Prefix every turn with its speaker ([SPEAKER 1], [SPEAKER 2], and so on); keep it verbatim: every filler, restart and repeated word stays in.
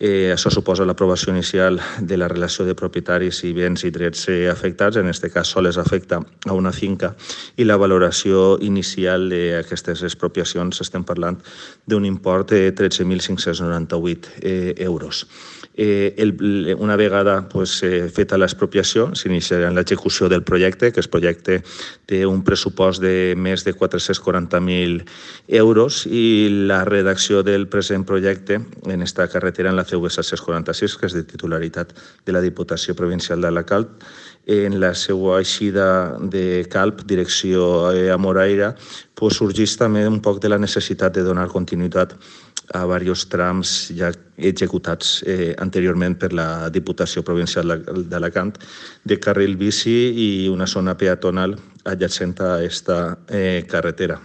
[SPEAKER 1] Eh, això suposa l'aprovació inicial de la relació de propietaris i béns i drets eh, afectats, en aquest cas sols afecta a una finca, i la valoració inicial d'aquestes expropiacions estem parlant d'un import de tretze mil cinc-cents noranta-vuit eh, euros. Eh, el, una vegada pues, eh, feta l'expropiació, s'iniciarà l'execució del projecte, que el projecte té un pressupost de més de quatre-cents quaranta mil euros i la redacció del present projecte en esta carretera en la C V set-cents quaranta-sis, que és de titularitat de la Diputació Provincial d'Alacant, en la seva eixida de Calp, direcció a Moraira, pues, sorgeix també un poc de la necessitat de donar continuïtat a diversos trams ja executats eh, anteriorment per la Diputació Provincial d'Alacant de carril bici i una zona peatonal adjacent a aquesta eh, carretera.